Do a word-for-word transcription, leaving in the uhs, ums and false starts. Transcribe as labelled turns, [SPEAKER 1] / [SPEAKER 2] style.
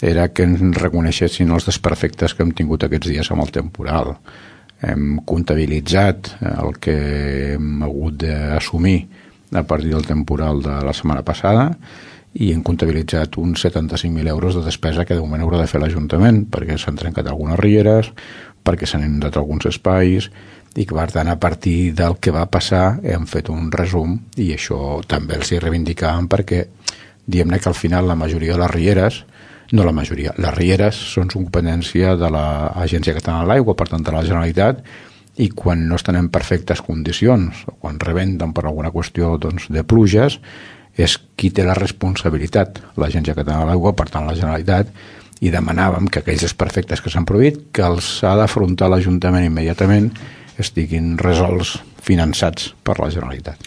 [SPEAKER 1] era que ens reconeixessin els desperfectes que hem tingut aquests dies amb el temporal. Hem comptabilitzat el que hem hagut d'assumir a partir del temporal de la setmana passada i hem comptabilitzat uns setanta-cinc mil euros de despesa que de moment haurà de fer l'Ajuntament perquè s'han trencat algunes rieres, perquè s'han inundat alguns espais i que, per tant, a partir del que va passar hem fet un resum i això també els hi reivindicàvem perquè diguem-ne que al final la majoria de les rieres, no la majoria, les rieres són competència de l'Agència Catalana de l'Aigua, per tant de la Generalitat, i quan no estan en perfectes condicions o quan rebenten per alguna qüestió doncs, de pluges, és qui té la responsabilitat, l'Agència Catalana de l'Aigua, per tant la Generalitat, i demanàvem que aquells desperfectes que s'han produït, que els ha d'afrontar l'Ajuntament immediatament, estiguin resolts, finançats per la Generalitat.